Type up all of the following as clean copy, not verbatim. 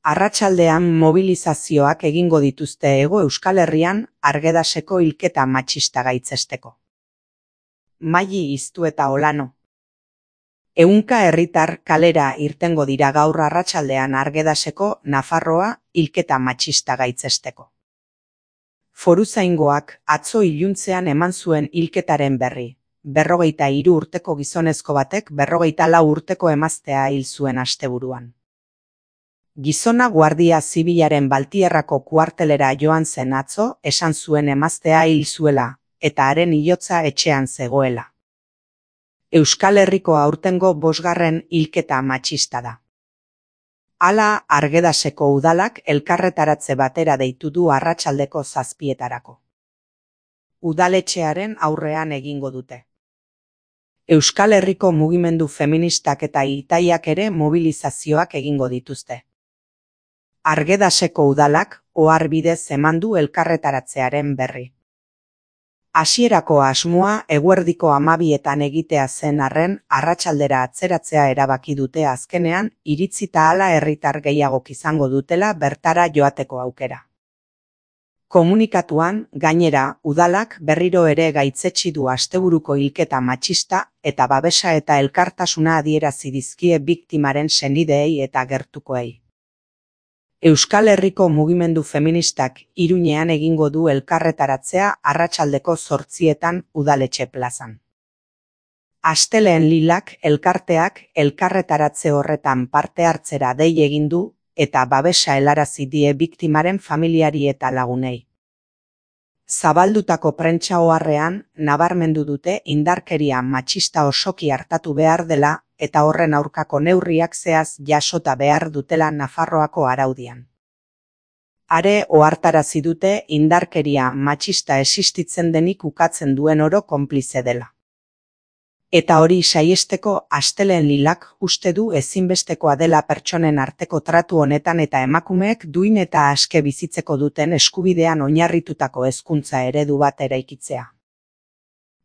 Arratsaldean mobilizazioak egingo dituzte Hego Euskal Herrian Argedaseko hilketa matxista gaitzesteko. Maili Iztu eta Olano. Ehunka herritar kalera irtengo dira gaur arratsaldean Argedaseko Nafarroa hilketa matxista gaitzesteko. Foruzaingoak atzo iluntzean eman zuen hilketaren berri. 53 urteko gizonezko batek 44 urteko emaztea hil zuen asteburuan. Gizona Guardia Zibilaren Baltierrako kuartelera joan zen atzo, esan zuen emaztea hil zuela, eta haren hilotza etxean zegoela. Euskal Herriko aurtengo 5. hilketa matxista da. Hala, Argedaseko udalak elkarretaratze batera deitu du arratsaldeko 7:00. Udaletxearen aurrean egingo dute. Euskal Herriko mugimendu feministak eta Itaiak ere mobilizazioak egingo dituzte. Argedaseko udalak ohar bidez eman du elkarretaratzearen berri. Hasierako asmoa eguerdiko 12:00 egitea zen arren, arratsaldera atzeratzea erabaki dute azkenean, iritzita hala herritar gehiagok izango dutela bertara joateko aukera. Komunikatuan, gainera, udalak berriro ere gaitzetsi du asteburuko hilketa matxista eta babesa eta elkartasuna adierazi dizkie biktimaren senideei eta gertukoei. Euskal Herriko mugimendu feministak Iruñean egingo du elkarretaratzea arratsaldeko 8:00 udaletxe plazan. Astelehen Lilak elkarteak elkarretaratze horretan parte hartzera dei egin du eta babesa helarazi die biktimaren familiari eta lagunei. Zabaldutako prentsa oharrean nabarmendu dute indarkeria matxista osoki hartatu behar dela eta horren aurkako neurriak zehaz jasota behar dutela Nafarroako araudian. Are ohartarazi dute indarkeria matxista existitzen denik ukatzen duen oro konplize dela. Eta hori saiesteko Astelehen Lilak uste du ezinbestekoa dela pertsonen arteko tratu honetan eta emakumeek duin eta aske bizitzeko duten eskubidean oinarritutako hezkuntza eredu bat eraikitzea.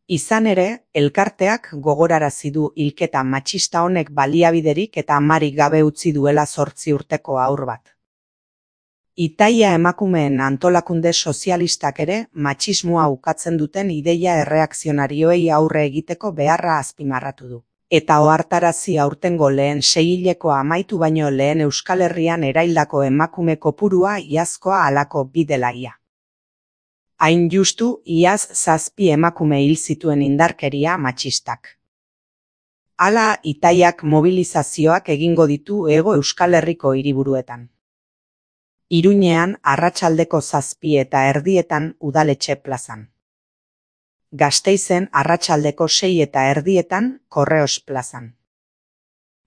Izan ere, elkarteak gogorarazi du hilketa matxista honek baliabiderik eta amarik gabe utzi duela 8 urteko haur bat. Itaia emakumeen antolakunde sozialistak ere matxismoa ukatzen duten ideia erreakzionarioei aurre egiteko beharra azpimarratu du. Eta ohartarazi aurtengo lehen 6-hilekoa amaitu baino lehen Euskal Herrian eraildako emakume kopurua iazkoa halako bidelaia. Hain justu, iaz 7 emakume hil zituen indarkeria matxistak. Hala, Itaiak mobilizazioak egingo ditu Hego Euskal Herriko hiriburuetan. Iruñean arratsaldeko 7:30 udaletxe plazan. Gasteizen arratsaldeko 6:30 Korreos plazan.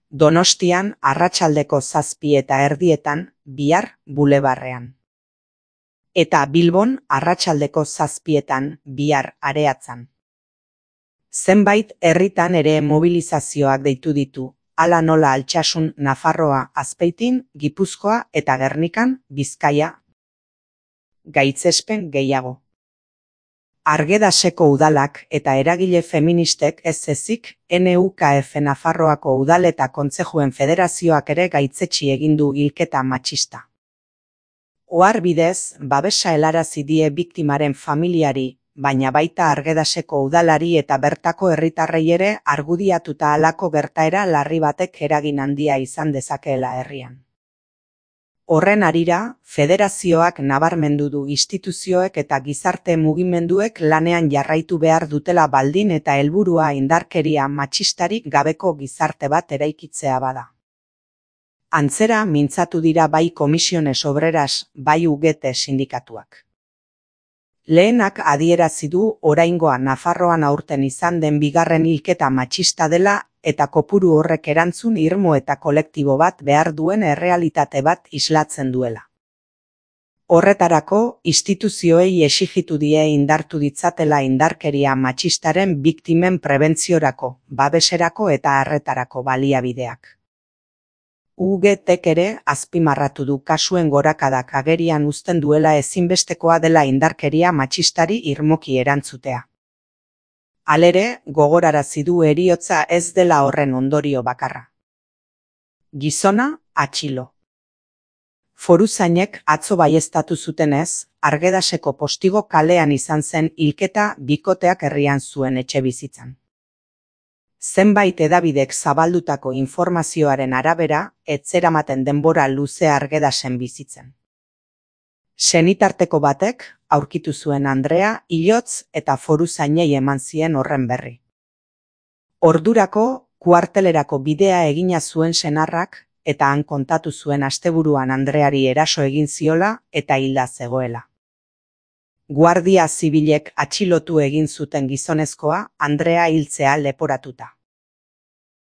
Donostian arratsaldeko 7:30 Bihar bulebarrean. Eta Bilbon arratsaldeko 7:00 Bihar Areatzan. Zenbait herritan ere mobilizazioak deitu ditu, hala nola Altsasun, Nafarroa, Azpeitin, Gipuzkoa eta Gernikan, Bizkaia. Gaitzespen gehiago. Argedaseko udalak eta eragile feministek ez ezik, NUKF Nafarroako udal eta kontzejuen federazioak ere gaitzetsi egin du hilketa matxista. Ohar bidez, babesa helarazi die biktimaren familiari, baina baita Argedaseko udalari eta bertako herritarrei ere argudiatuta halako gertaera larri batek eragin handia izan dezakeela herrian. Horren harira, federazioak nabarmendu du instituzioek eta gizarte mugimenduek lanean jarraitu behar dutela baldin eta helburua indarkeria matxistarik gabeko gizarte bat eraikitzea bada. Antzera mintzatu dira bai Komisiones Obreras, bai UGT sindikatuak. Lehenak adierazi du oraingoa Nafarroan aurten izan den 2. hilketa matxista dela eta kopuru horrek erantzun irmo eta kolektibo bat behar duen errealitate bat islatzen duela. Horretarako, instituzioei exijitu die indartu ditzatela indarkeria matxistaren biktimen prebentziorako, babeserako eta arretarako baliabideak. UGTek ere azpimarratu du kasuen gorakadak agerian uzten duela ezinbestekoa dela indarkeria matxistari irmoki erantzutea. Halere, gogorarazi du heriotza ez dela horren ondorio bakarra. Gizona, atxilo. Foruzainek atzo baieztatu zutenez, Argedaseko Postigo kalean izan zen hilketa bikoteak herrian zuen etxebizitzan. Zenbait hedabidek zabaldutako informazioaren arabera, ez zeramaten denbora luze Argedasen bizitzen. Senitarteko batek aurkitu zuen Andrea hilotz eta foruzainei eman zien horren berri. Ordurako kuartelerako bidea egina zuen senarrak eta han kontatu zuen asteburuan Andreari eraso egin ziola eta hilda zegoela. Guardia zibilek atxilotu egin zuten gizonezkoa Andrea hiltzea leporatuta.